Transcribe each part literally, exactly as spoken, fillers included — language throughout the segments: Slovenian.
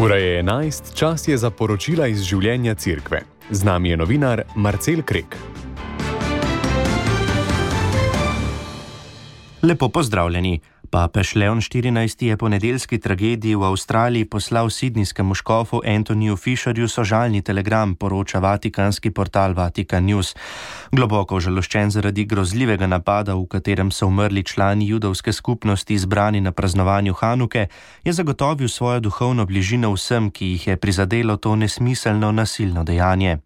Ura je enajst, čas je za poročila iz življenja cerkve. Z nami je novinar Marcel Krek. Lepo pozdravljeni. Papež Leon štirinajsti je po nedeljski tragediji v Avstraliji poslal sidnijskemu škofu Anthonyju Fisherju sožalni telegram, poroča vatikanski portal Vatican News. Globoko užaloščen zaradi grozljivega napada, v katerem so umrli člani judovske skupnosti zbrani na praznovanju Hanuke, je zagotovil svojo duhovno bližino vsem, ki jih je prizadelo to nesmiselno nasilno dejanje.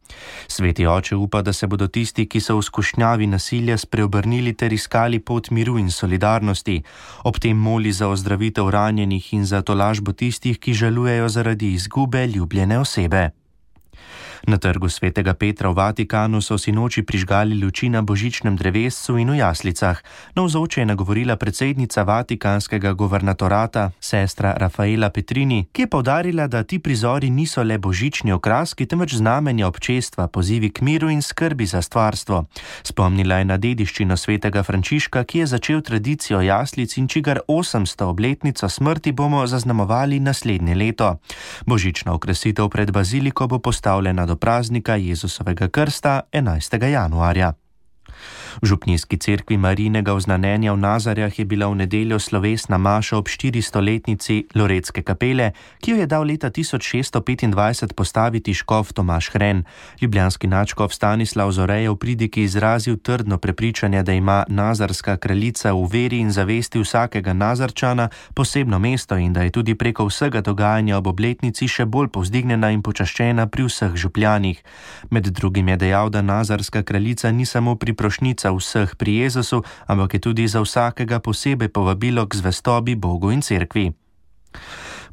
Sveti oče upa, da se bodo tisti, ki so v skušnjavi nasilja, spreobrnili ter iskali pot miru in solidarnosti. Ob tem moli za ozdravitev ranjenih in za tolažbo tistih, ki žalujejo zaradi izgube ljubljene osebe. Na trgu svetega Petra v Vatikanu so sinoči prižgali luči na božičnem drevescu in v jaslicah. Navzoče je nagovorila predsednica vatikanskega guvernatorata, sestra Rafaela Petrini, ki je poudarila, da ti prizori niso le božični okraski, temveč znamenja občestva, pozivi k miru in skrbi za stvarstvo. Spomnila je na dediščino svetega Frančiška, ki je začel tradicijo jaslic in čigar osemsto obletnico smrti bomo zaznamovali naslednje leto. Božična okrasitev pred baziliko bo postavljena do praznika Jezusovega krsta enajstega januarja. V župnijski cerkvi Marijinega oznanjenja v Nazarjah je bila v nedeljo slovesna maša ob štiristoletnici Loretske kapele, ki jo je dal leta tisoč šeststo petindvajset postaviti škof Tomaž Hren. Ljubljanski nadškof Stanislav Zore je v pridiki izrazil trdno prepričanje, da ima nazarska kraljica v veri in zavesti vsakega Nazarčana posebno mesto in da je tudi preko vsega dogajanja ob obletnici še bolj povzdignjena in počaščena pri vseh župljanih. Med drugim je dejal, da nazarska kraljica ni samo priprošnica vseh pri Jezusu, ampak je tudi za vsakega posebej povabilo k zvestobi Bogu in cerkvi.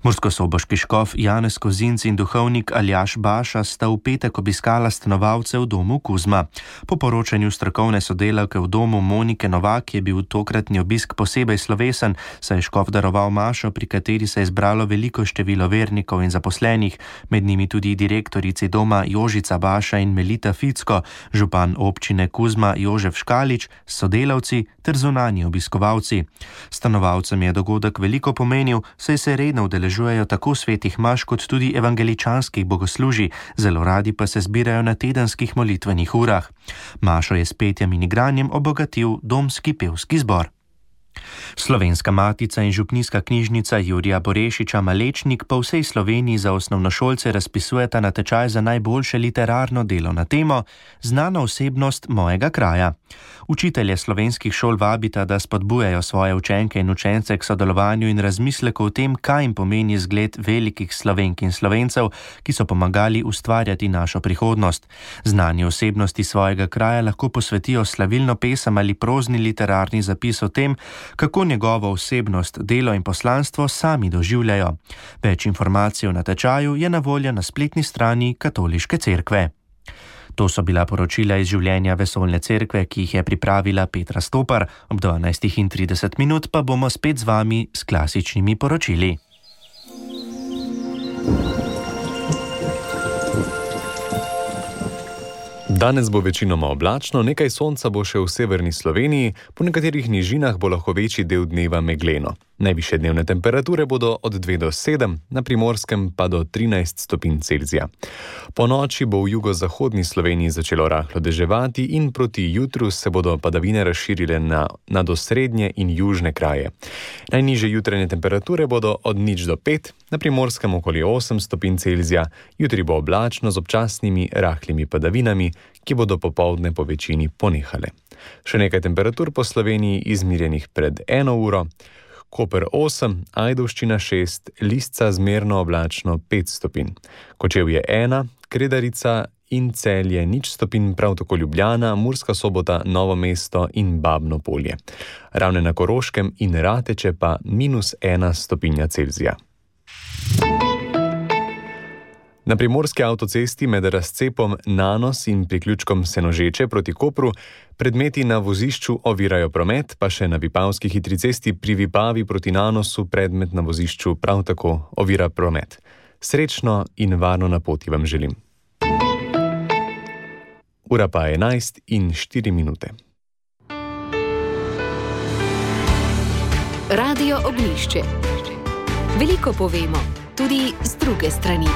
Murskosoboški škof Janez Kozinc in duhovnik Aljaž Baša sta v petek obiskala stanovalce v domu Kuzma. Po poročanju strokovne sodelavke v domu Monike Novak je bil tokratni obisk posebej slovesen, saj je škof daroval mašo, pri kateri se je zbralo veliko število vernikov in zaposlenih, med njimi tudi direktorici doma Jožica Baša in Melita Ficko, župan občine Kuzma Jožef Škalič, sodelavci ter zunanji obiskovalci. Stanovalcem je dogodek veliko pomenil, saj se redno udeležujejo tako svetih maš kot tudi evangeličanskih bogoslužij, zelo radi pa se zbirajo na tedenskih molitvenih urah. Mašo je s petjem in igranjem obogatil domski pevski zbor. Slovenska matica in župnijska knjižnica Jurija Borešiča Malečnik po vsej Sloveniji za osnovnošolce razpisujeta natečaj za najboljše literarno delo na temo Znana osebnost mojega kraja. Učitelje slovenskih šol vabita, da spodbujajo svoje učenke in učence k sodelovanju in razmisleku o tem, kaj jim pomeni zgled velikih Slovenk in Slovencev, ki so pomagali ustvarjati našo prihodnost. Znani osebnosti svojega kraja lahko posvetijo slavilno pesem ali prozni literarni zapis o tem, kako njegovo osebnost, delo in poslanstvo sami doživljajo. Več informacij o natečaju je na voljo na spletni strani Katoliške cerkve. To so bila poročila iz življenja vesoljne cerkve, ki jih je pripravila Petra Stopar. Ob dvanajstih in trideset minut pa bomo spet z vami s klasičnimi poročili. Danes bo večinoma oblačno, nekaj sonca bo še v severni Sloveniji, po nekaterih nižinah bo lahko večji del dneva megleno. Najvišje dnevne temperature bodo od dve do sedem, na Primorskem pa do trinajst stopinj Celzija. Po noči bo v jugozahodni Sloveniji začelo rahlo deževati in proti jutru se bodo padavine razširile na, na dosrednje in južne kraje. Najnižje jutranje temperature bodo od nič do pet, na Primorskem okoli osem stopinj Celzija, jutri bo oblačno z občasnimi rahlimi padavinami, ki bodo popoldne po večini ponehale. Še nekaj temperatur po Sloveniji izmirjenih pred eno uro. Koper osem, Ajdovščina šest, Lisca zmerno oblačno pet stopinj. Kočevje ena, Kredarica in Celje nič stopinj, prav tako Ljubljana, Murska Sobota, Novo mesto in Babno Polje. Ravne na Koroškem in Rateče pa minus ena stopinja Celzija. Na primorski avtocesti med razcepom Nanos in priključkom Senožeče proti Kopru predmeti na vozišču ovirajo promet, pa še na Vipavski hitri cesti pri Vipavi proti Nanosu predmet na vozišču prav tako ovira promet. Srečno in varno na poti vam želim. Ura pa je enajst in štiri minute. Radio Oglišče. Veliko povemo, tudi z druge strani.